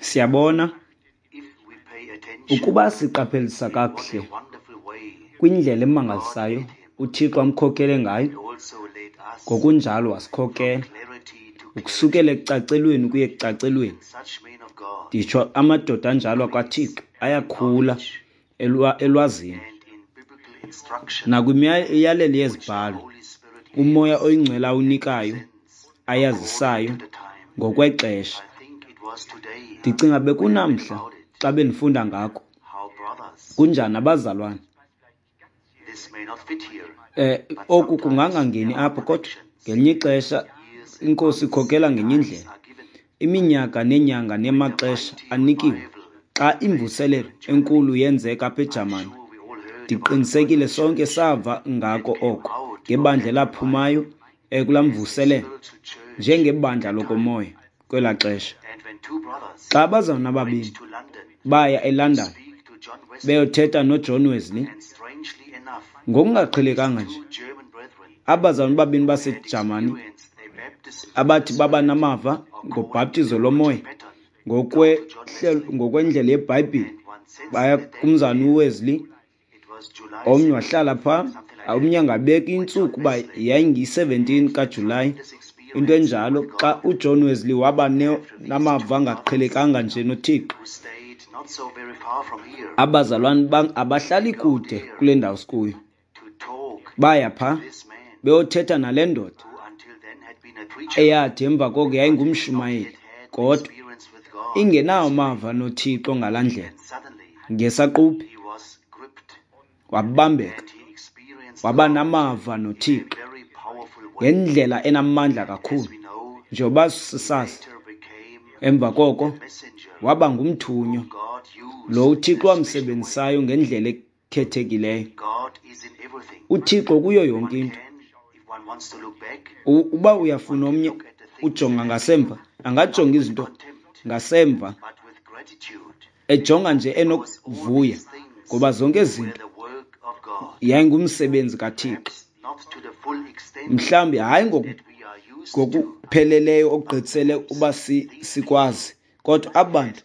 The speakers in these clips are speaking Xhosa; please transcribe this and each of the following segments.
Siyabona ukuba siqaphelisa kakuhle kwindlela emangalisayo uThixo amkhokele ngayo, ngokunjalo wasikhokela ukusukela ekucacelweni ukuya ekucacelweni. Nditsho amadoda anjalo akwaThixo ayakhula elwazini nakwimiyalelo yeziBhalo uMoya oyiNgcwele awunikayo, ayazisayo ngokwexesha. Ndicinga bekunamhla xa bendifunda ngako kunjani abazalwane. Oku kungangangeni apha, kodwa ngelinye ixesha iNkosi ikhokela ngenye indlela. Iminyaka neenyanga namaxesha anikiwe. Xa imvuselelo enkulu yenzeka apha eJamani, ndiqinisekile sonke sava ngako oko, ngebandla elaphumayo kulaa mvuselelo njengebandla lokomoya kwelaa xesha. Xa abazalwana ababini baya eLondon beyothetha noJohn Wesley, ngokungaqhelekanga nje, abazalwana ababini baseJamani abathi baba namava ngobhaptizo lomoya ngokwendlela yeBhayibhile, baya kumzana uWesley. Omnye wahlala phaa, omnye angabeka intsuku uba yayingiyi-17 kaJulayi, into enjalo, xa uJohn Wesley waba namava angaqhelekanga nje noThixo. Abazalwane abahlali kude kule ndawo sikuyo, baya phaa beyothetha nale ndoda eyathi emva koko yayingumshumayeli, kodwa ingenawo amava noThixo ngalaa ndlela. Ngesaquphe wabambeka, waba namava noThixo ngendlela enamandla kakhulu, njengoba sisazi. Emva koko waba ngumthunywa lo uThixo wamsebenzisayo ngendlela ekhethekileyo. UThixo kuyo yonke into. Uba uyafuna omnye ujonga ngasemva, angajonga izinto ngasemva ejonga nje enokuvuya, ngoba zonke izinto yayingumsebenzi kaThixo. Mhlawumbi hayi ngokupheleleyo okugqithisele uba sikwazi, kodwa aba bantu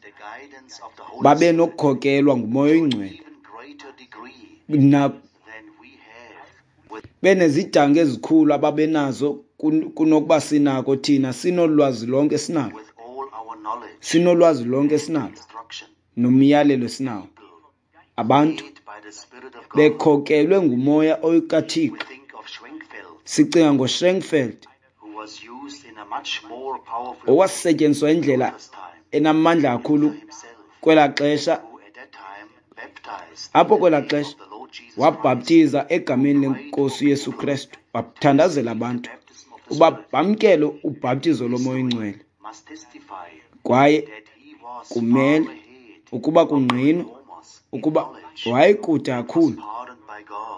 babe nokukhokelwa nguMoya oyiNgcwele benezidanga ezikhulu ababenazo kunokuba sinako thina. Sinolwazi lonke esinalo, sinolwazi lonke esinalo nomyalelo esinawo. Abantu bekhokelwe nguMoya kaThixo. Sicinga ngoSchwenkfeld owasetyenziswa indlela enamandla kakhulu kwelaa xesha. Apho kwelaa xesha wabhaptiza egameni leNkosi uYesu Kristu, wathandazela abantu uba bamkele ubhaptizo loMoya oyiNgcwele. Kwaye kumele ukuba kungqinwe ukuba wayekude kakhulu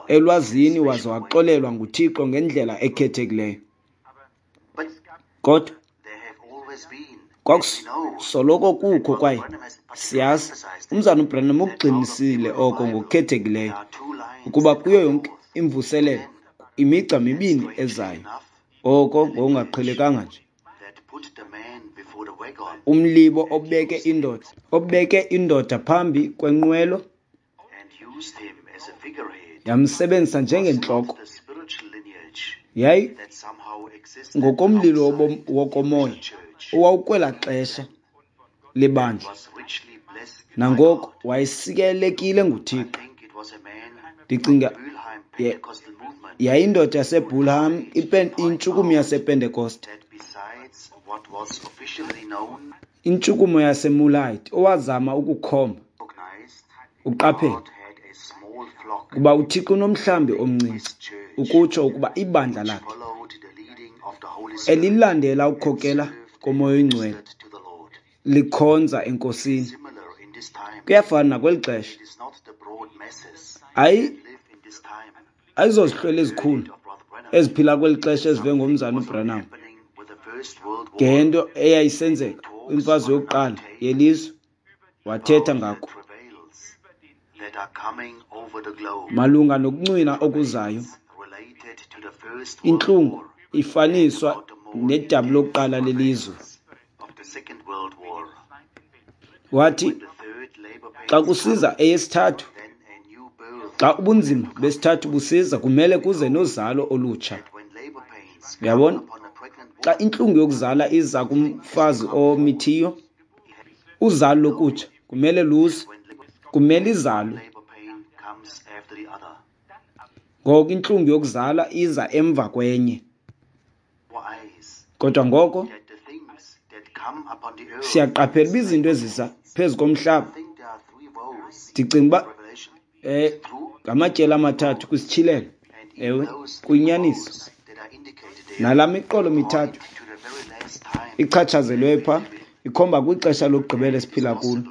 elwazini, waze waxolelwa nguThixo ngendlela ekhethekileyo. Kodwa kwakusoloko kukho, kwaye siyazi umzana uBranham ukugxinisile oko ngokukhethekileyo, ukuba kuyo yonke imvuselelo imigca mibini ezayo, oko ngokungaqhelekanga nje. Umlibo obeke indoda phambi kwenqwelo, yamsebenzisa njengentloko. Yayi ngokomlilo wokomoya owawukwelaa xesha lebandla, nangoko wayesikelekile nguThixo. Ndicinga yayindoda yaseBulham, intshukumo yasePentekoste, intshukumo yaseMulite, owazama ukukhomba uqaphele kuba uThixo unomhlambi omncinci, ukutsho ukuba ibandla lakhe elilandela ukukhokela koMoya oyiNgcwele likhonza eNkosini. Kuyafana nakweli xesha. Ayizozihlwele ezikhulu eziphila kweli xesha ezive ngomzana uBranham ngento eyayisenzeka kwimfazwe yokuqala yelizwe, wathetha ngako malunga nokuncwina okuzayo. Intlungu ifaniswa nedabi lokuqala lelizwe Wathi xa kusiza eyesithathu, xa ubunzima besithathu busiza, kumele kuze nozalo olutsha. Uyabona? Xa intlungu yokuzala iza kumfazi omithiyo, uzalo lokutsha kumele luze, kumele izalwe. Ngoko intlungu yokuzala iza emva kwenye. Kodwa ngoko siyaqaphela uba izinto eziza phezu komhlaba, ndicinga uba ngamatyeli amathathu kwisityhilelo. Ewe, kuyinyaniso. Nalaa miqolo mithathu ichatshazelweyo phaa ikhomba kwixesha lokugqibela esiphila kulo.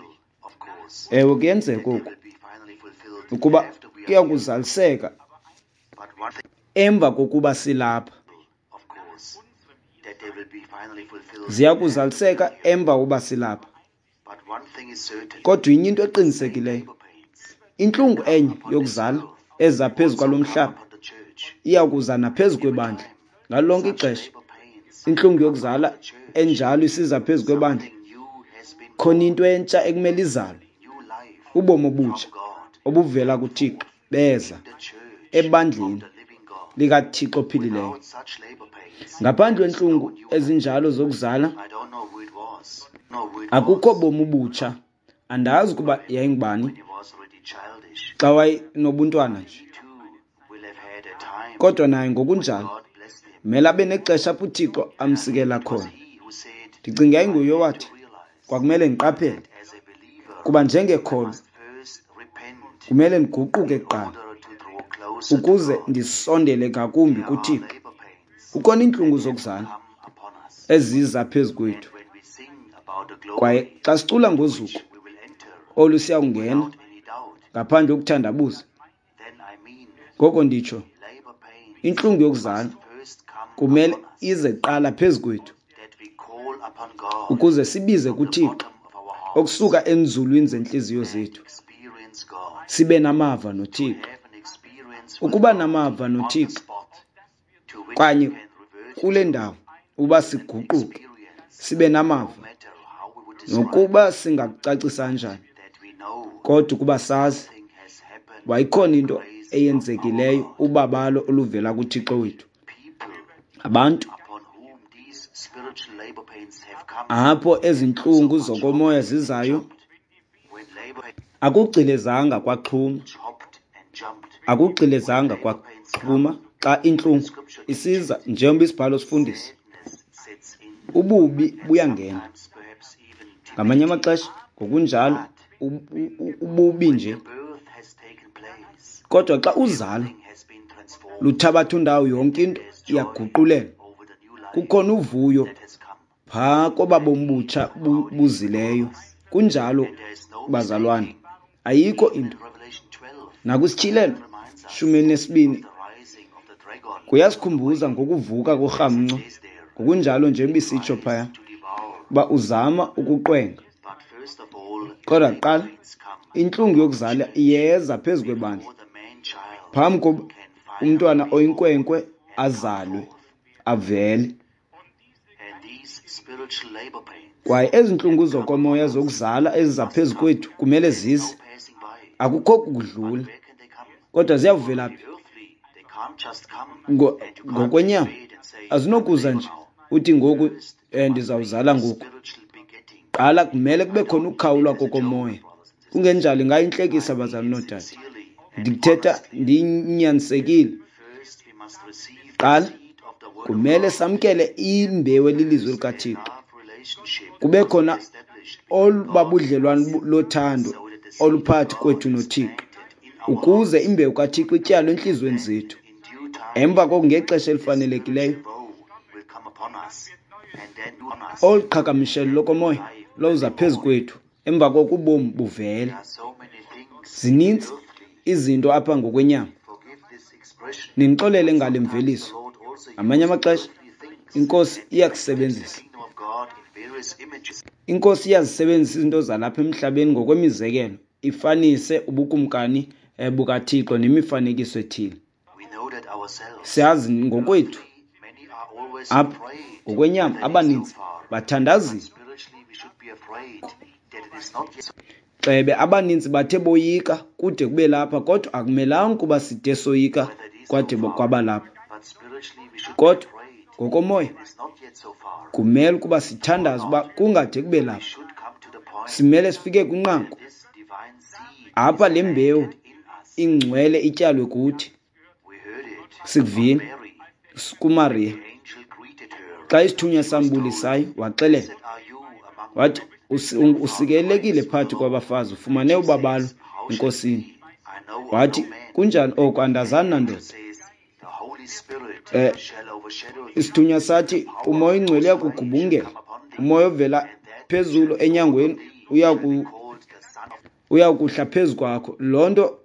Ewe, kuyenzeka oku ukuba kuya kuzaliseka emva kokuba silapha. Ziya kuzaliseka emva kokuba silapha. Kodwa inye into eqinisekileyo, intlungu enye yokuzala eza phezu kwalo mhlaba iya kuza naphezu kwebandla ngalo lonke ixesha. Intlungu yokuzala enjalo isiza phezu kwebandla, khona into entsha ekumele izalwe, ubomi obutsha obuvela kuThixo beza ebandleni likaThixo ophilileyo. Ngaphandle kwentlungu ezinjalo zokuzala akukho bomi obutsha. Andazi ukuba yayingubani xa wayenobuntwana nje, kodwa naye ngokunjalo mele abe nexesha apho uThixo amsikela khona. Ndicinga yayinguye owathi kwakumele ndiqaphele kuba njengekholwa kumele ndiguquke kuqala ukuze ndisondele ngakumbi kuThixo. Kukhona iintlungu zokuzala eziza phezu kwethu, kwaye xa sicula ngozuko olu siyawungena ngaphandle kokuthandabuza. Ngoko nditsho, intlungu yokuzala kumele ize kuqala phezu kwethu ukuze sibize kuThixo okusuka enzulwini zentliziyo zethu, sibe namava noThixo. Ukuba namava noThixo kanye kule ndawo uba siguquke sibe namava, nokuba singakucacisa njani, kodwa ukuba sazi wayikhona into eyenzekileyo, ubabalo oluvela kuThixo wethu. Abantu apho ezintlungu zokomoya zizayo akugcilezanga kwaxhuma, akugcilezanga kwaxhuma xa intlungu isiza, njengoba isibhalo sifundisa, ububi buyangena. Ngamanye amaxesha ngokunjalo ububi nje, kodwa xa uzalo luthabatha undawo, yonke into iyaguqulelwa. Kukhona uvuyo phaa koba bomi butsha buzileyo. Kunjalo bazalwane, ayikho into. Nakwisityhilelo 12 kuyasikhumbuza ngokuvuka korhamncwa, ngokunjalo njengoba isitsho phaya uba uzama ukuqwenga. Kodwa kuqala intlungu yokuzala iyeza phezu kwebandla phambi koba umntwana oyinkwenkwe azalwe avele. Kwaye ezi ntlungu zokomoya zokuzala eziza phezu kwethu kumele zize, akukho kudlula. Kodwa ziyawuvela phi? Ngokwenyama azinokuza nje uthi ngoku ndizawuzala ngoku. Qala kumele kube khona ukukhawulwa kokomoya, kungenjalo ingayintlekisa bazali noodade. Ndithetha ndinyanisekile. Qala kumele samkele imbewu elilizwi likaThixo, kube khona olubabudlelwane lothando oluphakathi kwethu noThixo, ukuze imbewu kaThixo ityalwe entliziyweni zethu. Emva koko ngexesha elifanelekileyo olu qhagamshelo lokomoya lowuza phezu kwethu, emva koko ubomi buvele. Zininzi izinto apha ngokwenyama. Nindixolele ngale mveliso. Ngamanye amaxesha iNkosi iyakusebenzisa. INkosi iyazisebenzisa izinto zalapha emhlabeni ngokwemizekelo, ifanise ubukumkani bukaThixo nemifanekiso ethile. Siyazi ngokwethu apha ngokwenyama abaninzi bathandazile, Xebe abaninzi bathe boyika kude kube lapha, kodwa akumelanga ukuba side soyika kwade kwaba lapha. Kodwa ngokomoya kumele ukuba sithandaze uba kungade kube lapha. Simele sifike kwinqaku apha le mbewu ingcwele ityalwe kuthi. Sikuvile kuMariya xa isithunywa sambulisayo, waxelela wathi, usikelelekile phakathi kwabafazi, ufumane ubabalo eNkosini. Wathi, kunjani oko? Andazani nandoda. Isithunywa sathi, uMoya oyiNgcwele uyakugubungela, uMoya ovela phezulu enyangweni uyakuhla phezu kwakho. Loo nto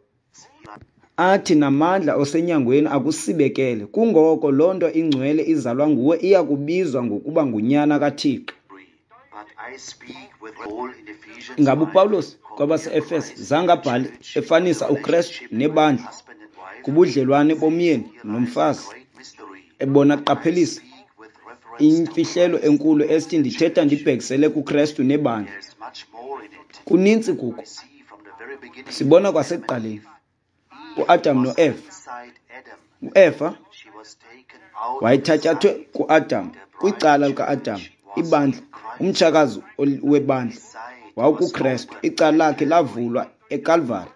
athi namandla osenyangweni akusibekele. Kungoko loo nto ingcwele izalwa nguwe iyakubizwa ngokuba ngunyana kaThixo. Ingaba uPawulos kwabase-Efese zange abhale efanisa uKrestu nebandla kubudlelwane bomyeni nomfazi, ebona qaphelisa imfihlelo enkulu esithi ndithetha ndibhekisele kuKrestu nebandla. Kunintsi kuko. Sibona kwasekuqaleni uAdam noEva. UEva wayethatyathwe kuAdam, kwicala likaAdam, ibandla, umtshakazi webandla wawukuKrestu. Icala lakhe lavulwa eKalvari,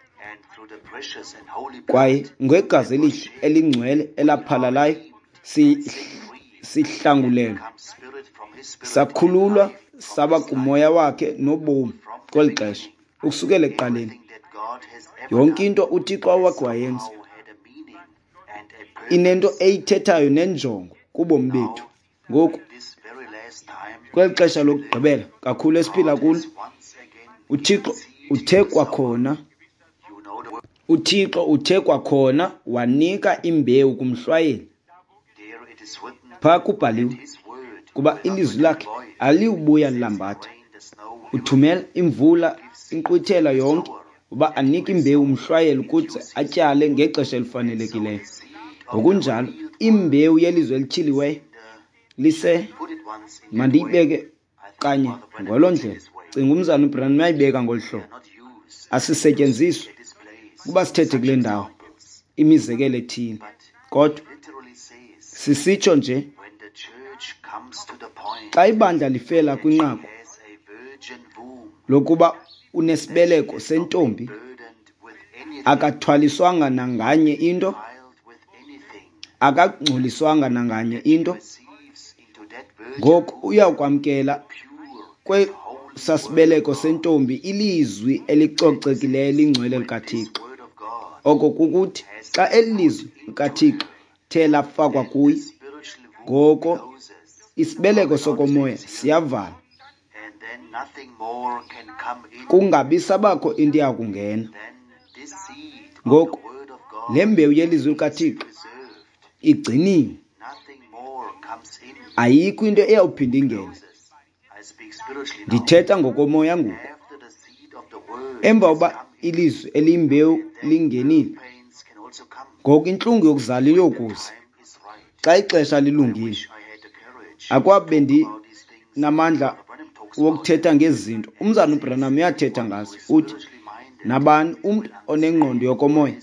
kwaye ngegazi elihle elingcwele elaphalalayo sihlangulelwe, sakhululwa, saba kumoya wakhe nobomi kweli xesha ukusukela ekuqaleni. Yonke into uThixo awakhe wayenza inento eyithethayo nenjongo kubomi bethu. Ngoku kweli xesha lokugqibela kakhulu esiphila kulo, uThixo uthe kwakhona, uThixo uthe kwakhona wanika imbewu kumhlwayeli. Phaa kubhaliwe kuba ilizwi lakhe aliwubuya lilambatha. Uthumela imvula, inkqwithela yonke, uba anike imbewu umhlwayeli ukuze atyale ngexesha elifanelekileyo. Ngokunjalo imbewu yelizwi elityhiliweyo lise, mandiyibeke kanye ngolo ndlela. Cinga umzana uBranham uyayibeka ngolu hlobo. Asisetyenziswa kuba sithethe kule ndawo imizekelo ethile, kodwa sisitsho nje xa ibandla lifela kwinqaku lokuba unesibeleko sentombi, akathwaliswanga nanganye into, akangcoliswanga nanganye into, ngoku uyakwamkela kwesasibeleko sentombi ilizwi elicocekileyo elingcwele likaThixo. Oko kukuthi xa eli lizwi likaThixo the lafakwa kuye, ngoko isibeleko sokomoya siyavala, kungabi sabakho into iyakungena. Ngoku le mbewu yelizwi likaThixo igciniwe, ayikho into eyawuphinda ingene. Ndithetha ngokomoya ngoku. Emva uba ilizwi eliyimbewu lingenile, ngoku intlungu yokuzala iyokuza xa ixesha lilungile. Akwabe bendinamandla wokuthetha ngezi zinto. Umzana uBranham uyathetha ngazo. Uthi nabani umntu onengqondo yokomoya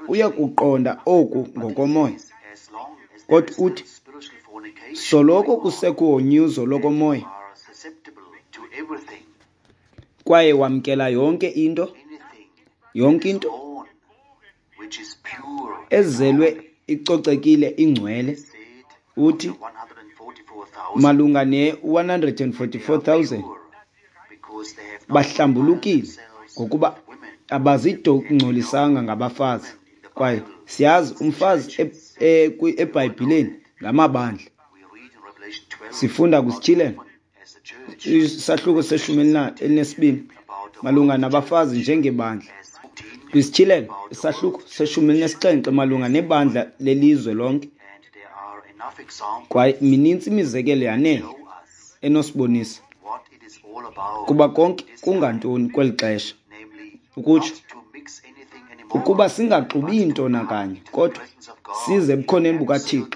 uyakuqonda oku ngokomoya. Kodwa uthi soloko kusekho unyuzo lokomoya kwaye wamkela yonke into, yonke into ezelwe icocekile ingcwele. Uthi malunga ne-144,000 bahlambulukile ngokuba abazidongcolisanga ngabafazi. Kwaye siyazi umfazi eBhayibhileni ngamabandla. Sifunda kwiSityhilelo isahluko seshumi elinesibini malunga nabafazi njengebandla. KwiSityhilelo isahluko seshumi elinesixhenxe malunga nebandla lelizwe lonke. Kwaye minintsi imizekelo yanele enosibonisa kuba konke kungantoni kweli xesha, ukutsho ukuba singaxubi nto nakanye, kodwa size ebukhoneni bukaThixo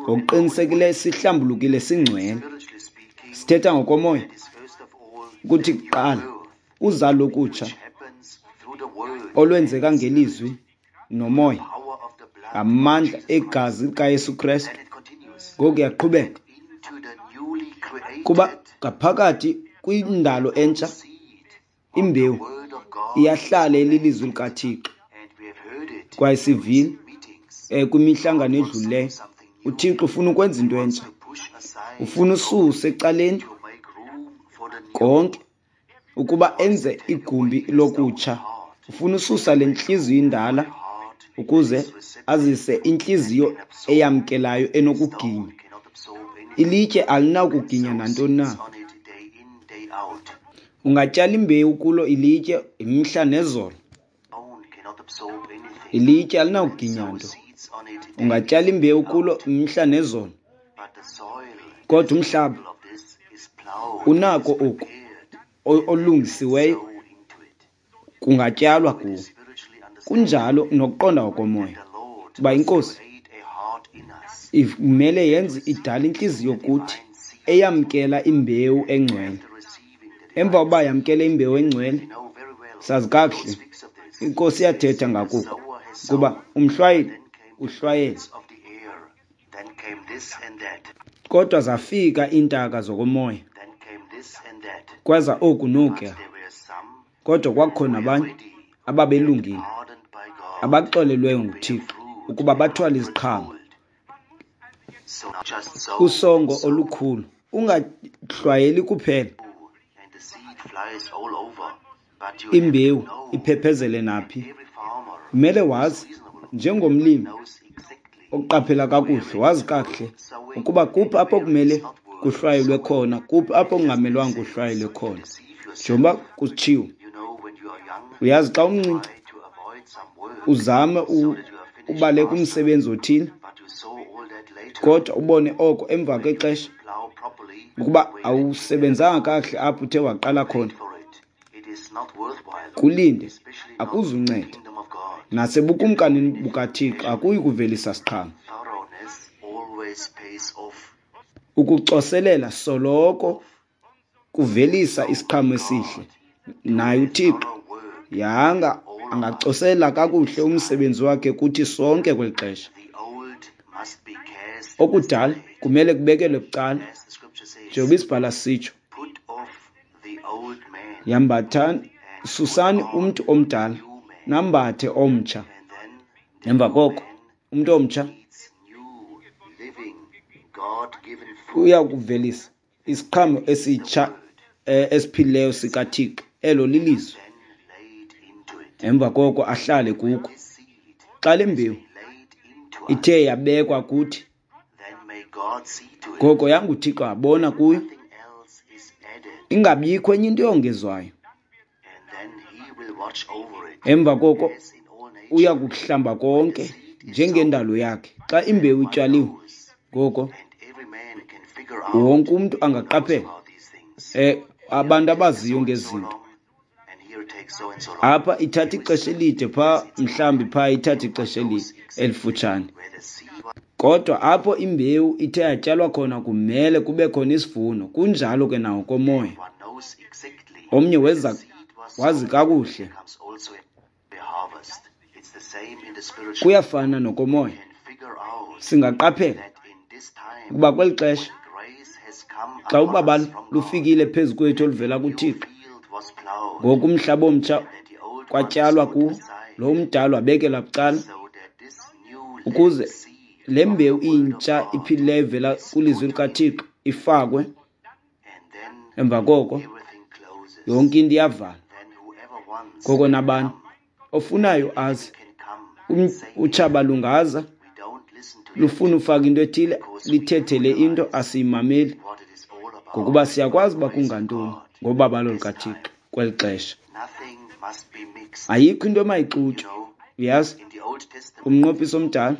ngokuqinisekileyo sihlambulukile singcwele. Sithetha ngokomoya. Ukuthi kuqala uzalo okutsha olwenzeka ngelizwi nomoya, ngamandla egazi likaYesu Krestu. Ngoku yaqhubeka kuba ngaphakathi kwindalo entsha imbewu iyahlala elilizwi likaThixo. Kwaye sivile kwimihlangano edlulileyo, uThixo ufuna ukwenza into entsha, ufuna ususe ecaleni konke ukuba enze igumbi lokutsha. Ufuna ususa le ntliziyo indala ukuze azise intliziyo eyamkelayo enokuginya. Ilitye alinakuginya nantoni na. Ungatyala imbewu kulo ilitye imihla nezolo, ilitye alinawuginya nto. Ungatyala imbewu kulo imihla nezolo, kodwa umhlaba unako oku olungisiweyo kungatyalwa kuwo. Kunjalo nokuqonda ngokomoya uba iNkosi imele yenze idala intliziyo kuthi eyamkela imbewu engcwele. Emva kokuba yamkele imbewu engcwele, sazi kakuhle iNkosi iyathetha ngakuko kuba umhlwayeli uhlwayele. Kodwa zafika iintaka zokomoya, kweza oku nokuya. Kodwa kwakukho nabanye ababelungile, abaxolelweyo nguThixo ukuba bathwale iziqhamo usongo olukhulu. Ungahlwayeli kuphela imbewu iphephezele naphi. Kumele wazi njengomlimi oqaphela kakuhle, wazi kakuhle ukuba kuphi apho kumele kuhlwayelwe khona, kuphi apho kungamelwanga kuhlwayelwe khona. Njengoba kutshiwo, uyazi xa umncinci uzame ubaleka umsebenzi othile, kodwa ubone oko emva kwexesha ukuba awusebenzanga kakuhle apho uthe waqala khona. Kulinde, akuzunceda. Nasebukumkanini bukaThixo akuyi kuvelisa siqhamo. Ukucoselela soloko kuvelisa isiqhamo esihle. Naye uThixo yanga angacoselela kakuhle umsebenzi wakhe kuthi sonke kweli xesha. Okudala kumele kubekelwe bucala, njengoba isibhala sitsho, yambathani, susani umntu omdala nambathe omtsha. Emva koko umntu omtsha uya kuvelisa isiqhamo esitsha esiphilileyo sikaThixo, elo lilizwi. Emva koko ahlale kuko. Xa le mbewu ithe yabekwa kuthi, ngoko yanguThixo abona kuyo, ingabikho enye into eyongezwayo. Emva koko uya kukuhlamba konke njengendalo yakhe. Xa imbewu ityaliwe, ngoko wonke umntu angaqaphela, abantu abaziyo ngezinto. Apha ithatha ixesha elide, phaa mhlawumbi phaa ithatha ixesha elifutshane. Kodwa apho imbewu ithe yatyalwa khona kumele kube khona isivuno. Kunjalo ke nangokomoya. Omnye weza wazi kakuhle. Kuyafana nokomoya. Singaqaphela ukuba kweli xesha xa ubabalo lufikile phezu kwethu oluvela kuThixo, ngoku umhlaba omtsha kwatyalwa kuwo, lo umdala wabekelwa bucala ukuze le mbewu intsha iphilileyo ivela kwilizwi likaThixo ifakwe. Emva koko yonke into iyavalwa. Ngoko nabani ofunayo aze, utshaba lungaza lufuna ufaka into ethile, lithethele into, asiyimameli, ngokuba siyakwazi uba kungantoni ngobabalo lukaThixo kweli xesha. Ayikho into emayixutywe. Uyazi, kumnqophiso omdala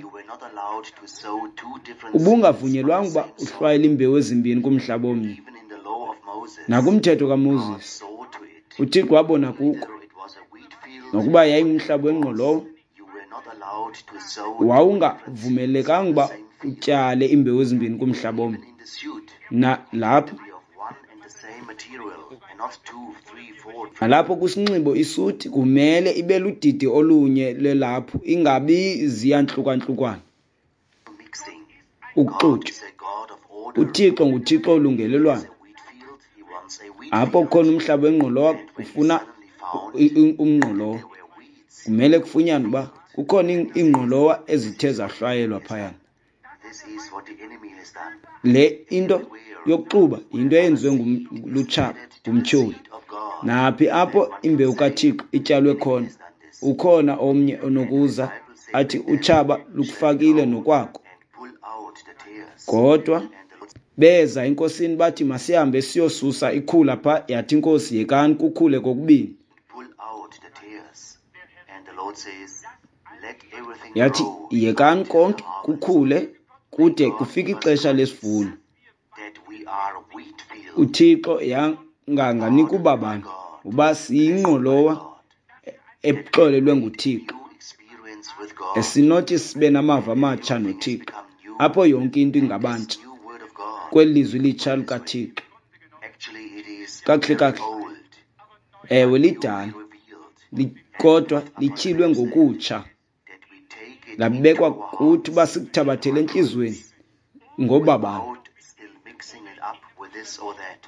ubungavunyelwanga uba uhlwayele imbewu ezimbini kumhlaba omnye. Nakumthetho kaMoses, uThixo wabona kuko nokuba yayingumhlaba wengqolowa, wawungavumelekanga uba utyale imbewu ezimbini kumhlaba omnye. Nalapha Nalapho kwisinxibo isuti kumele ibe ludidi olunye lelaphu, ingabi ziyantlukantlukwana, ukuxutywa. UThixo nguThixo olungelelwano. Apho kukhona umhlaba wengqolowa ufuna umngqolowa, kumele kufunyanwe uba kukhona iingqolowa ezithe zahlwayelwa phayana. Le into yokuxuba yinto eyenziwe lutshaba, ngumtyholi. Naphi apho imbewu kaThixo ityalwe khona, ukhona omnye onokuza athi utshaba lukufakile nokwakho. Kodwa beza enkosini bathi masihambe siyosusa ikhula pha, yathi inkosi yekani kukhule kokubini. Yathi yekani konke kukhule kude kufike ixesha lesivuno. UThixo yanganganika ubabalo uba siyingqolowa exolelwe nguThixo, esinothi sibe namava amatsha noThixo, apho yonke into ingabantsha kweli lizwi litsha likaThixo. Kakuhle kakuhle, ewe lidala, kodwa lityhilwe ngokutsha, labekwa kuthi uba sikuthabathele entliziyweni ngobabalo,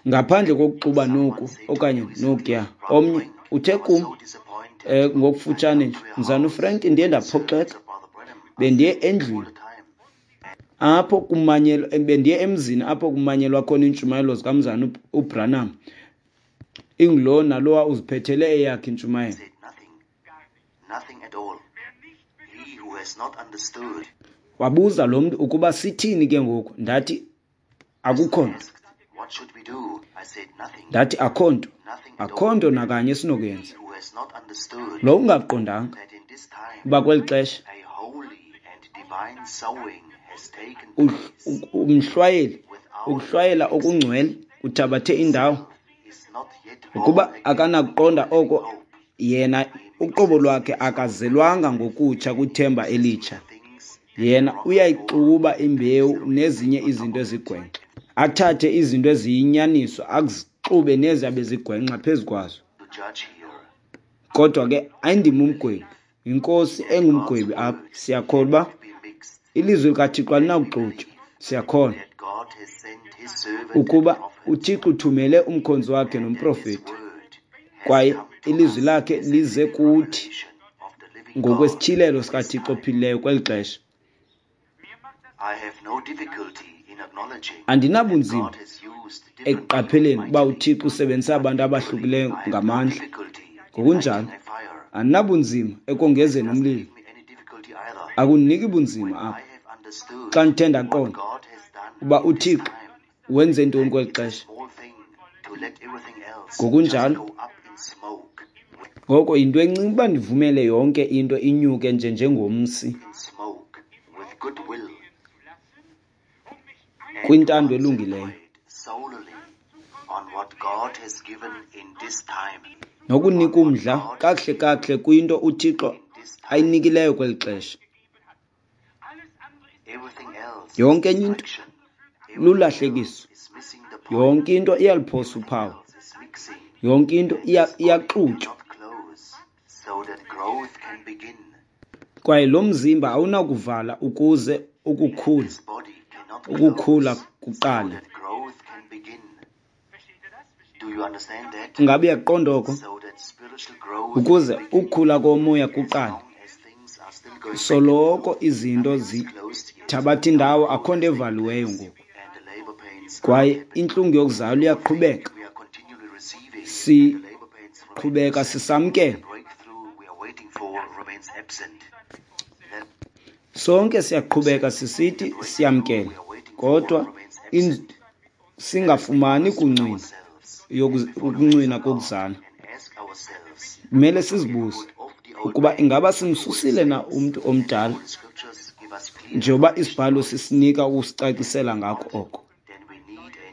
ngaphandle kokuxuba noku okanye nokuya. Omnye uthe kum ngokufutshane nje, Mzana uFrank, ndiye ndaphoxeka, bendiye endlwini apho kumanyelwa, bendiye emzini apho kumanyelwa khona iintshumayelo zikaMzana uBranham, ingulo nalowa uziphethele eyakhe intshumayelo. Wabuza lo mntu ukuba sithini ke ngoku, ndathi akukho nto. Ndathi akho nto, akho nto nakanye esinokuyenza. Lo ungaqondanga uba kweli xesha umhlwayeli, ukuhlwayela okungcwele kuthabathe indawo, ukuba akanakuqonda oko yena uqobo lwakhe akazelwanga ngokutsha kwithemba elitsha. Yena uyayixuba imbewu nezinye izinto ezigwenxa, athathe izinto eziyinyaniso azixube neziyabe zigwenxa phezu kwazo. Kodwa ke ayindim umgwebi, yinkosi engumgwebi apha. Siyakholwa uba ilizwi likaThixo alinakuxutywa. Siyakholwa ukuba uThixo uthumele umkhonzi wakhe nomprofeti, kwaye ilizwi lakhe lize kuthi ngokwesityhilelo sikaThixo ophilileyo kweli xesha. Andinabunzima ekuqapheleni uba uThixo usebenzise abantu abahlukileyo ngamandla. Ngokunjalo, andinabunzima ekongezeni umlilo. Akundiniki bunzima apha xa ndithe ndaqonda uba uThixo wenze ntoni kweli xesha. Ngokunjalo, ngoko yinto encinci uba ndivumele yonke into inyuke nje njengomsi kwintando elungileyo, nokunika umdla kakuhle kakuhle kwinto uThixo ayinikileyo kweli xesha. Yonke enye into lulahlekiso, yonke into iyaluphosa uphawu, yonke into iyaxutywa. Kwaye lo mzimba awunakuvala ukuze ukukhula kuqale. Ngabe uyaqonda oko? Ukuze ukukhula komoya kuqale. Soloko izinto zithabatha indawo, akho nto evaliweyo ngoku. Kwaye intlungu yokuzalwa iyaqhubeka. Siqhubeka sisamkela. Sonke siyaqhubeka sisithi siyamkela, kodwa singafumani kuncwina ukuncwina kokuzala. Kumele sizibuze ukuba ingaba simsusile na umntu omdala, njengoba isibhalo sisinika ukusicacisela ngako oko.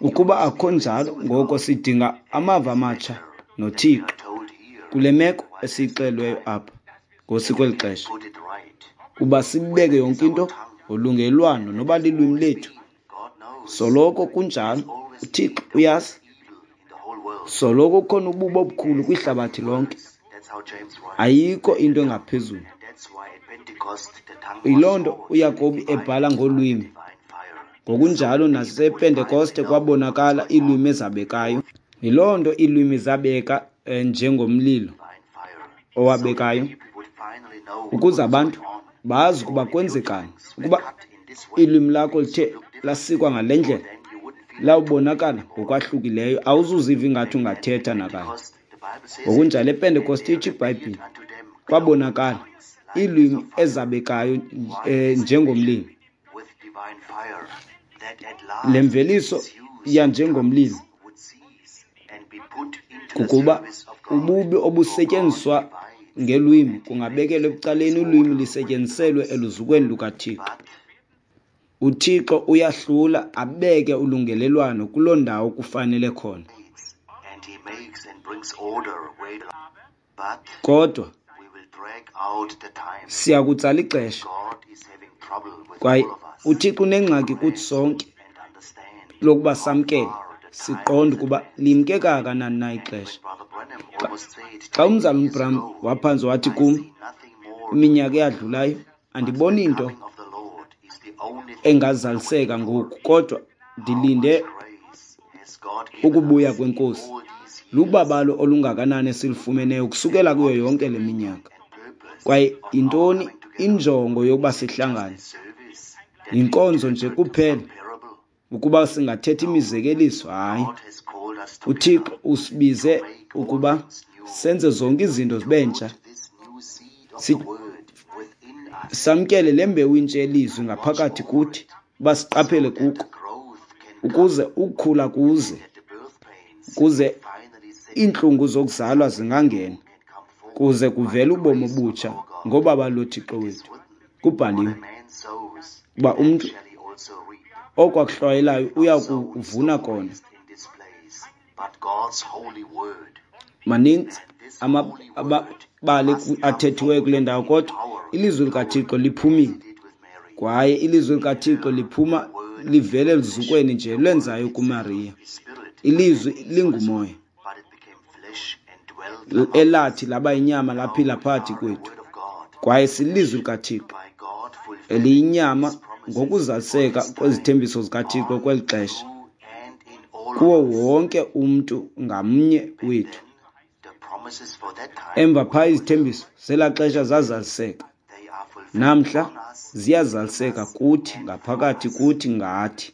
Ukuba akho njalo, ngoko sidinga amava amatsha noThixo kule meko esiyixelweyo apha ngosi kweli xesha, uba sibeke yonke into ngolungelwano noba lilwimi lethu. Soloko kunjalo, uThixo uyazi. Soloko kukhona ububi obukhulu kwihlabathi lonke. Ayikho into engaphezulu. Yiloo nto uYakobi ebhala ngolwimi. Ngokunjalo nasePentekoste kwabonakala iilwimi ezabekayo. Yiloo nto iilwimi zabeka njengomlilo owabekayo, ukuze abantu bazi ukuba kwenzekani. Ukuba ilwimi lakho lithe lasikwa ngale ndlela, lawubonakala ngokwahlukileyo, awuzuziva ingathi ungathetha nakanye. Ngokunjalo ePentekoste itsho iBhayibhile, kwabonakala iilwimi ezabekayo njengomlilo. Le mveliso yanjengomlilo kukuba ububi obusetyenziswa ngelwimi kungabekelwa ekucaleni, ulwimi lisetyenziselwe eluzukweni lukaThixo. UThixo uyahlula abeke ulungelelwano kuloo ndawo kufanele khona. Kodwa siyakutsala ixesha, kwaye uThixo unengxaki kuthi sonke lokuba samkele, siqonde ukuba limke kangakanani na ixesha. Xa umzalwana uBram waphantsi wathi kum iminyaka eyadlulayo, andiboni nto engazaliseka ngoku, kodwa ndilinde ukubuya kweNkosi. Lubabalo olungakanani esilufumeneyo ukusukela kuyo yonke le minyaka. Kwaye yintoni injongo yokuba sihlangane? Yinkonzo nje kuphela, ukuba singathetha imizekeliso? Hayi. UThixo usibize ukuba senze zonke izinto zibe ntsha. Samkele le mbewu intsha yelizwi ngaphakathi kuthi, uba siqaphele kuko, ukuze ukukhula kuze, ukuze iintlungu zokuzalwa zingangena, kuze kuvele ubomi obutsha ngobabalo loThixo wethu. Kubhaliwe uba umntu oko akuhlwayelayo uya kuvuna kona. Maninzi amabali athethiweyo kule ndawo, kodwa ilizwi likaThixo liphumile, kwaye ilizwi likaThixo liphuma livele eluzukweni nje lwenzayo kuMariya. Ilizwi lingumoya elathi laba yinyama laphila phakathi kwethu, kwaye silizwi likaThixo eliyinyama ngokuzaliseka kwezithembiso zikaThixo kweli xesha kuwo wonke umntu ngamnye wethu. Emva phaa izithembiso zelaa xesha zazaliseka, namhla ziyazaliseka kuthi, ngaphakathi kuthi, ngathi.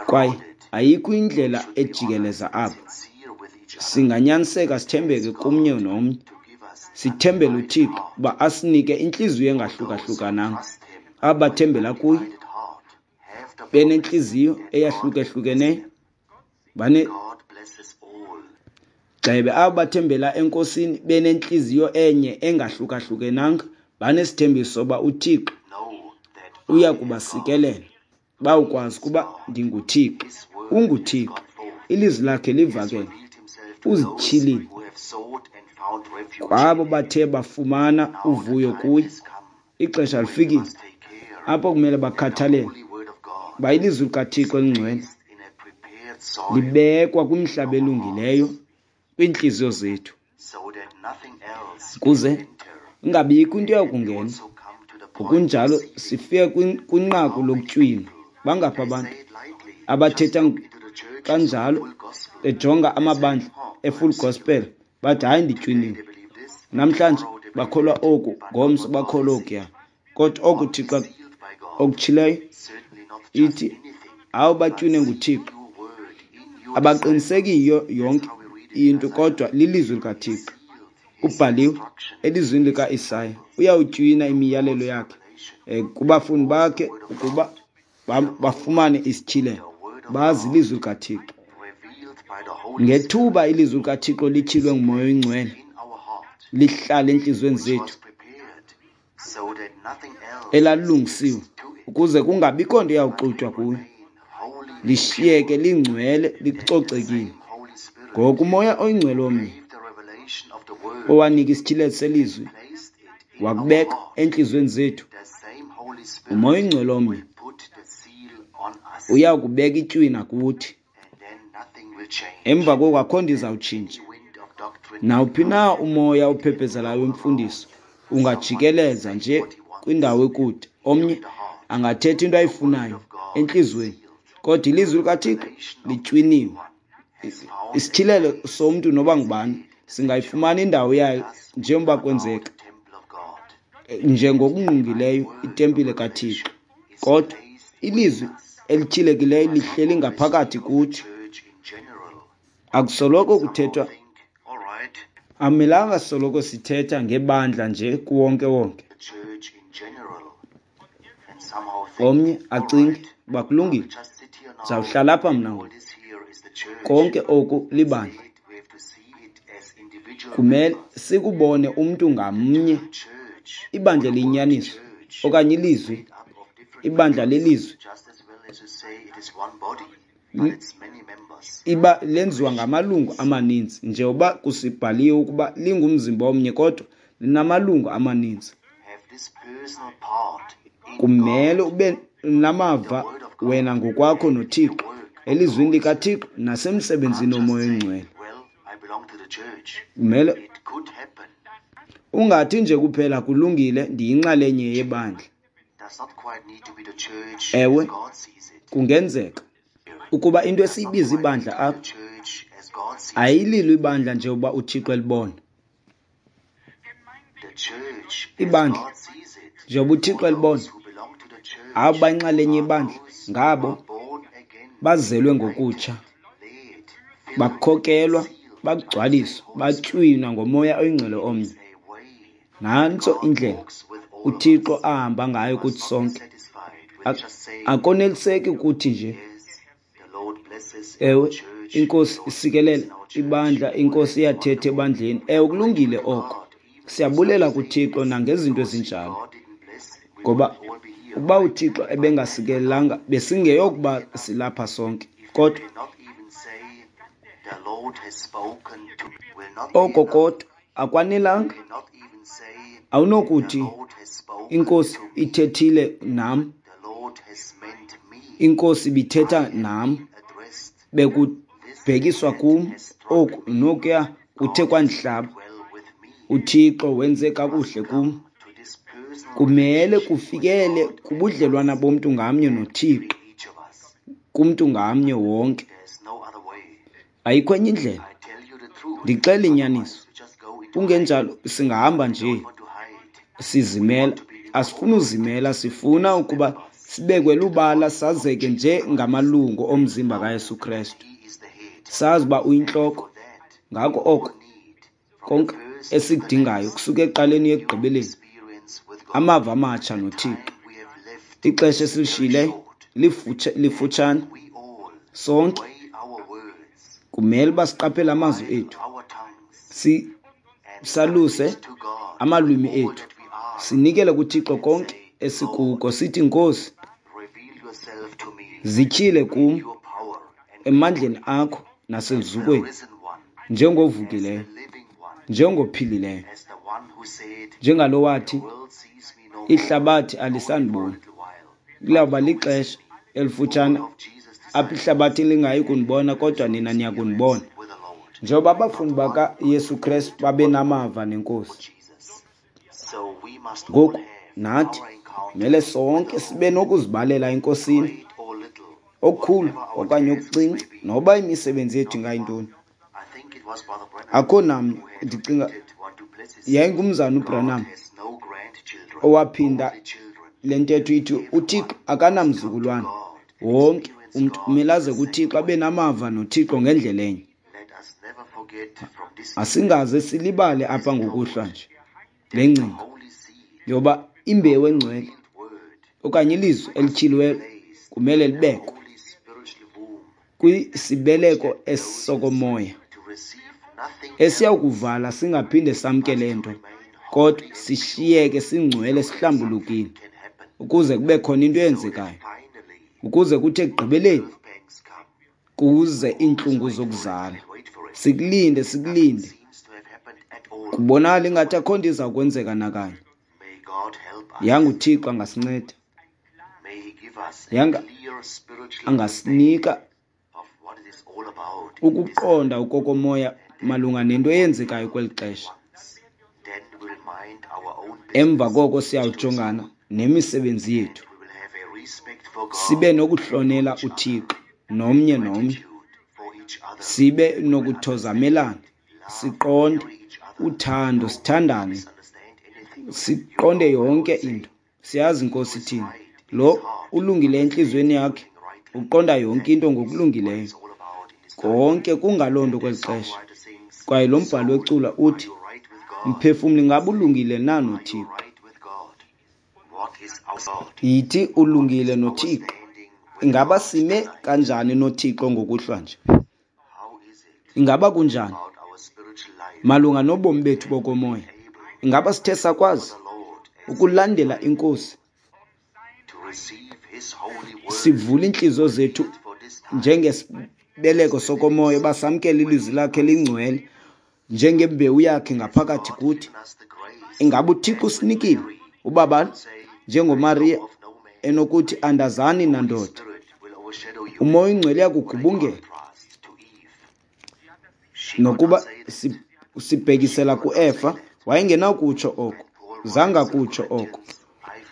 Kwaye ayikho indlela ejikeleza apha. Singanyaniseka sithembeke komnye nomnye, sithembele uThixo uba asinike intliziyo engahlukahlukananga. Aba bathembela kuye benentliziyo eyahlukahlukeneyo, gxebe abo bathembela eNkosini benentliziyo enye engahlukahlukenanga, banesithembiso soba uThixo uya kubasikelela. Bawukwazi ukuba ndinguThixo, unguThixo, ilizwi lakhe livakele, uzityhilile kwabo bathe bafumana uvuyo kuye. Ixesha lifikile apho kumele bakhathalele uba ilizwi likaThixo elingcwele libekwa kwimihlaba elungileyo kwiintliziyo zethu, ukuze ingabikho into eyakungena. Ngokunjalo sifike kwinqaku lokutywina. Bangaphi abantu abathetha kanjalo bejonga amabandla e-full gospel bathi hayi nditywiniwe. Namhlanje bakholwa oku, ngomso bakholwa okuya. Kodwa oku Thixo okutshileyo ithi awu batywine nguThixo. Abaqinisekiyo yonke into, kodwa lilizwi likaThixo. Kubhaliwe elizwini likaIsaya, uyawutywina imiyalelo yakhe kubafundi bakhe ukuba bafumane isityhilelo, bazi ilizwi likaThixo. Ngethuba ilizwi likaThixo lityhilwe nguMoya oyiNgcwele, lihlala entliziyweni zethu, elalilungisiwe ukuze kungabikho nto iyawuxutywa kuyo, lishiyeke lingcwele, licocekile. Ngoku uMoya oyiNgcwele omnye owanika isityhilelo selizwi wakubeka entliziyweni zethu, uMoya oyiNgcwele omnye uya kubeka itywina kuthi, Emva koko akho nto izawutshintsha. Nawuphi na umoya ophephezelayo wemfundiso ungajikeleza nje kwindawo ekude. Omnye angathetha into ayifunayo entliziyweni, kodwa ilizwi likaThixo litywiniwe. Isityhilelo somntu noba ngubani singayifumana indawo yayo njengoba kwenzeka njengokungqungileyo itempile kaThixo. Kodwa ilizwi elityhilekileyo lihleli ngaphakathi kuthi. Akusoloko kuthethwa, amelanga soloko sithetha ngebandla nje kuwonke-wonke. Omnye acinge uba kulungile, ndizawuhlala apha mna ngoku. Konke oku libandla. Kumele sikubone umntu ngamnye, ibandla eliyinyaniso okanye ilizwi, ibandla lelizwi iba lenziwa ngamalungu amaninzi, njengoba kusibhaliwe ukuba lingumzimba omnye kodwa linamalungu amaninzi. Kumele ube namava wena ngokwakho noThixo, elizwini likaThixo nasemsebenzini woMoya oyiNgcwele. Kumele ungathi nje kuphela kulungile ndiyinxalenye yebandla. Ewe, kungenzeka ukuba into esiyibiza ibandla apha ayililo ibandla njengoba uThixo elibona. Ibandla njengoba uThixo elibona, abo bayinxalenye yebandla ngabo bazelwe ngokutsha, bakhokelwa, bagcwaliswa, batywinwa ngoMoya oyiNgcwele omnye. Nantso indlela uThixo ahamba ngayo kuthi sonke. Akoneliseki kuthi nje, ewe, iNkosi isikelele ibandla, iNkosi iyathetha ebandleni. Ewe, kulungile oko. Siyabulela kuThixo nangezinto ezinjalo, ngoba ukuba uThixo ebengasikelelanga besingeyokuba silapha sonke. Kodwa oko kodwa akwanelanga. Awunokuthi iNkosi ithethile nam, iNkosi ibithetha nam, bekubhekiswa kum oku nokuya kuthe kwandihlaba. uThixo wenze kakuhle kum. Kumele kufikele kubudlelwana bomntu ngamnye noThixo, kumntu ngamnye wonke. Ayikho enye indlela. Ndixela inyaniso. Kungenjalo singahamba nje sizimela. Asifuni uzimela, sifuna ukuba sibekwe lubala sazeke njengamalungu omzimba kaYesu Kristu. Sazi uba uyintloko. Ngako oko konke esikudingayo kusuka ekuqaleni ekugqibeleni, amava amatsha noThixo. Ixesha esilishiyileyo lifutshane. Sonke kumele uba siqaphele amazwi ethu, saluse amalwimi ethu, sinikele kuThixo konke esikuko, sithi Nkosi, zityhile kum emandleni akho naseluzukweni, njengovukileyo, njengophilileyo, njengalo wathi ihlabathi alisandiboni. Kulawuba lixesha elifutshane apho ihlabathi lingayi kundibona, kodwa nina niya kundibona. Njengoba abafundi bakaYesu Kristu babenamava neNkosi, ngoku nathi kumele sonke sibe nokuzibalela eNkosini, okukhulu okanye okuncinci, noba imisebenzi yethu ingayintoni. Akho namnye, ndicinga yayingumzana uBranham owaphinda le ntetho ithi uThixo akanamzukulwana. Wonke umntu kumele aze kuThixo abe namava noThixo ngendlela enye. Asingaze silibale apha ngokuhlwa nje le ngcinga yoba imbewu engcwele okanye ilizwi elityhiliweyo kumele libekwe kwisibeleko esokomoya esiyawukuvala singaphinde samkele nto, kodwa sishiyeke singcwele sihlambulukile ukuze kube khona into eyenzekayo, ukuze kuthi ekugqibeleni kuze iintlungu zokuzala. Sikulinde, sikulinde. Kubonakala ingathi akho nto iza kwenzeka nakanye. Yanga uThixo angasinceda, yanga angasinika Ukuqonda okokomoya malunga nento eyenzekayo kweli xesha. Emva koko siyawujongana nemisebenzi yethu, sibe nokuhlonela uThixo nomnye nomnye, sibe nokuthozamelana, siqonde uthando, sithandane, siqonde yonke into. Siyazi inkosi ithini. Lo ulungile entliziyweni yakhe uqonda yonke into ngokulungileyo. Konke kungaloo nto kweli xesha. Kwaye lo mbhalo wecula uthi, mphefumlo ingaba ulungile na noThixo? Yithi ulungile noThixo. Ingaba sime kanjani noThixo ngokuhlwa nje? Ingaba kunjani malunga nobomi bethu bokomoya? Ingaba sithe sakwazi ukulandela iNkosi, sivule iintliziyo zethu njengesibeleko sokomoya uba samkele ilizwi lakhe elingcwele njengembewu yakhe ngaphakathi kuthi? Ingaba uThixo usinikile ubabalo njengoMariya enokuthi andazani nandoda? Umoya oyingcwele uyakugubungela nokuba sibhekisela kuEfa, wayengenakutsho oko, zange akutsho oko.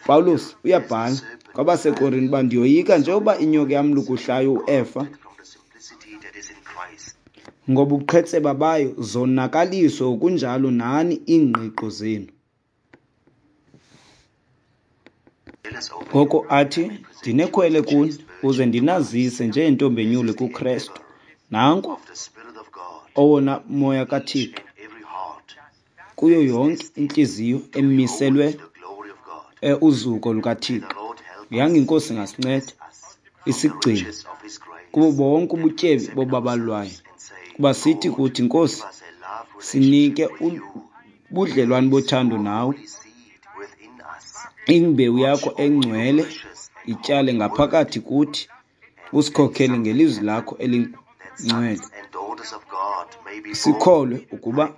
Pawulos uyabhala kwabaseKorinte uba ndiyoyika njengoba inyoka yamlukuhlayo uEfa, ngobuqhetseba bayo zonakaliswe ngokunjalo nani iingqiqo zenu. Ngoko athi, ndinekhwele kuni ukuze ndinazise njengentombi enyulu kuKrestu. Nanko owona moya kaThixo kuyo yonke intliziyo emiselwe uzuko lukaThixo. Yanga iNkosi ingasinceda isigcine kubo bonke ubutyebi bobabalo lwayo, kuba sithi kuthi, Nkosi, sinike ubudlelwane bothando nawe, imbewu yakho engcwele ityale ngaphakathi kuthi, usikhokhele ngelizwi lakho elingcwele. Sikholwe ukuba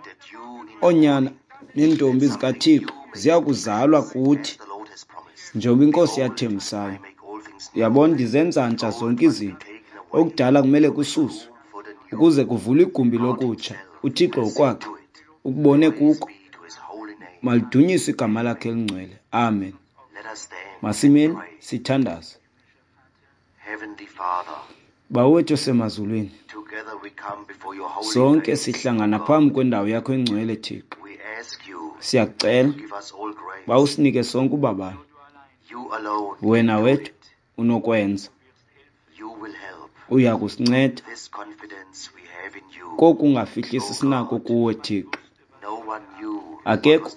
oonyana neentombi zikaThixo ziya kuzalwa kuthi njengoba iNkosi yathembisayo. Uyabona, ndizenza ntsha zonke izinto. Okudala kumele kususwe ukuze kuvulwe igumbi lokutsha. uThixo ngokwakhe ukubone kuko. Malidunyiswe igama lakhe elingcwele. Amen. Masimeni sithandaze. Bawo wethu osemazulwini, sonke sihlangana phambi kwendawo yakho engcwele, Thixo. Siyakucela uba usinike sonke ubabalo. Wena wedwa unokwenza, uya kusinceda kokungafihlisi sinako kuwe, Thixo. Akekho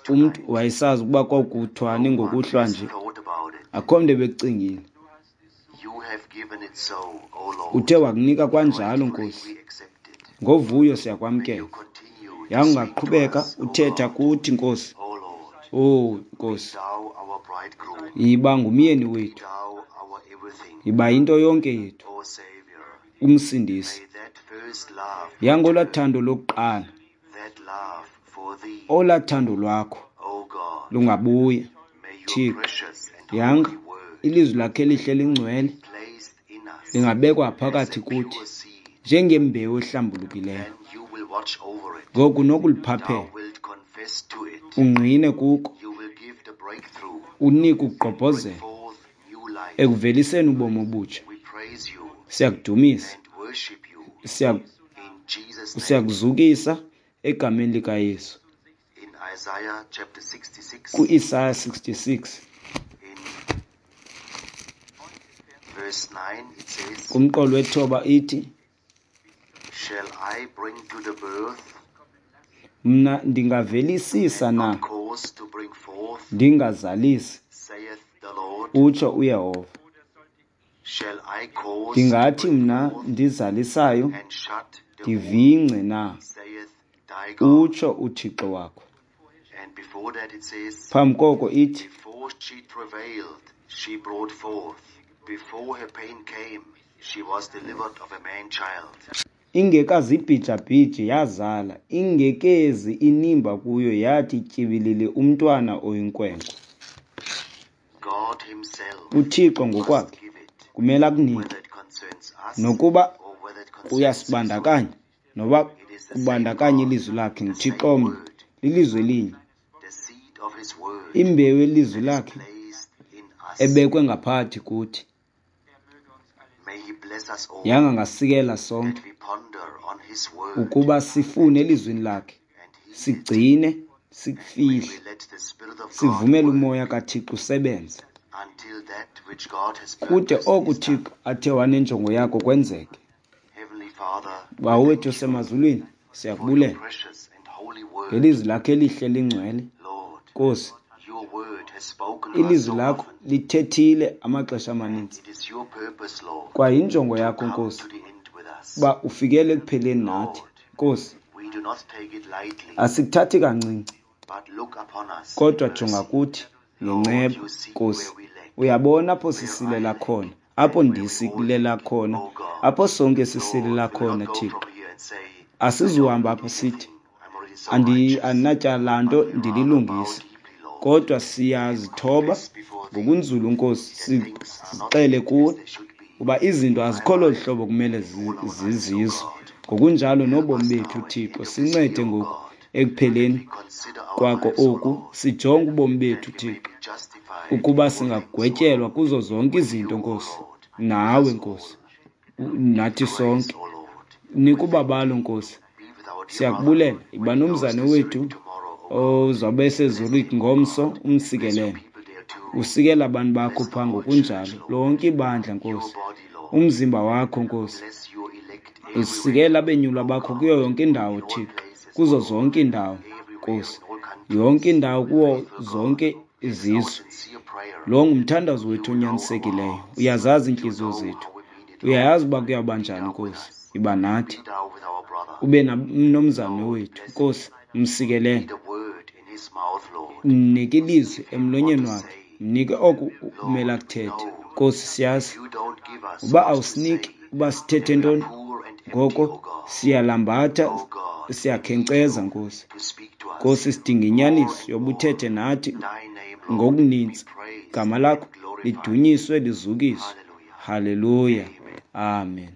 umntu wayesazi ukuba kwakuthwani ngokuhlwa nje, akho mntu ebekucingile. Uthe wakunika kwanjalo, Nkosi. Ngovuyo siyakwamkela. Yangaqhubeka uthetha kuthi, Nkosi. Oh, Nkosi, yiba ngumyeni wethu, yiba yinto yonke yethu, uMsindisi. Yangolaa thando lokuqala, olaa thando lwakho lungabuya, Thixo. Yanga ilizwi lakhe elihle lingcwele lingabekwa phakathi kuthi njengembewu ehlambulukileyo. Ngoku nokuliphaphela, ungqine kuko, unike ukugqobhozela ekuveliseni ubomi obutsha. Siyakudumisa, siyakuzukisa egameni likaYesu. KuIsaya 66 kumqolo wethoba ithi, mna ndingavelisisa na ndingazalisi, utsho uYehova. Ndingathi mna ndizalisayo ndivingce na, utsho uThixo wakho. Phambi koko ithi, ingekazibhijabhiji yazala, ingekezi inimba kuyo yathi tyibilili umntwana oyinkwenkwe. uThixo ngokwakhe kumele akunike, nokuba kuyasibandakanya noba kubandakanya ilizwi lakhe, nguThixo omnye, lilizwi elinye. Imbewu yelizwi lakhe ebekwe ngaphakathi kuthi. Yanga angasikela sonke ukuba sifune elizwini lakhe, sigcine, sikufihle, sivumele uMoya kaThixo usebenze kude oku uThixo athe wanenjongo yako kwenzeke. Bawo wethu osemazulwini, siyakubulela ngelizwi lakho elihle lingcwele. Nkosi, ilizwi lakho lithethile amaxesha amaninzi, kwaye injongo yakho, Nkosi, uba ufikele ekupheleni nathi. Nkosi, asikuthathi kancinci, kodwa jonga kuthi ngenceba. Nkosi, uyabona apho sisilela khona, apho ndisilela khona, apho sonke sisilela khona. Thixo, asizuhamba apho sithi andinatyala nto, ndililungisa, kodwa siyazithoba ngokunzulu, Nkosi, sixele kuwe uba izinto azikho lolu hlobo kumele zizizo. Ngokunjalo nobomi bethu, Thixo, sincede ngoku ekupheleni kwako oku, sijonge ubomi bethu, Thixo, ukuba singagwetyelwa kuzo zonke izinto, Nkosi, nawe, Nkosi, nathi sonke. Nika ubabalo, Nkosi, siyakubulela. Yiba nomzane wethu ozawube eseZurich ngomso, umsikelele, usikela abantu bakho phaa ngokunjalo, lonke ibandla, Nkosi, umzimba wakho, Nkosi, usikela abenyulwa bakho kuyo yonke indawo, Thixo, kuzo zonke iindawo, Nkosi, yonke indawo, kuwo zonke izizwe. Lo ngumthandazo wethu onyanisekileyo. Uyazazi iintliziyo zethu, uyayazi uba kuyawuba njani, Nkosi. Iba nathi, ube nomzane wethu, Nkosi, msikelele, mnike ilizwi emlonyeni wakhe, mnike oku kumele akuthethe. Nkosi, siyazi uba awusiniki uba sithethe ntoni, ngoko siyalambatha, siyakhenkceza, Nkosi. Nkosi, sidinga inyaniso yoba uthethe nathi ngokuninzi. Gama lakho lidunyiswe, lizukiswe. Haleluya, amen.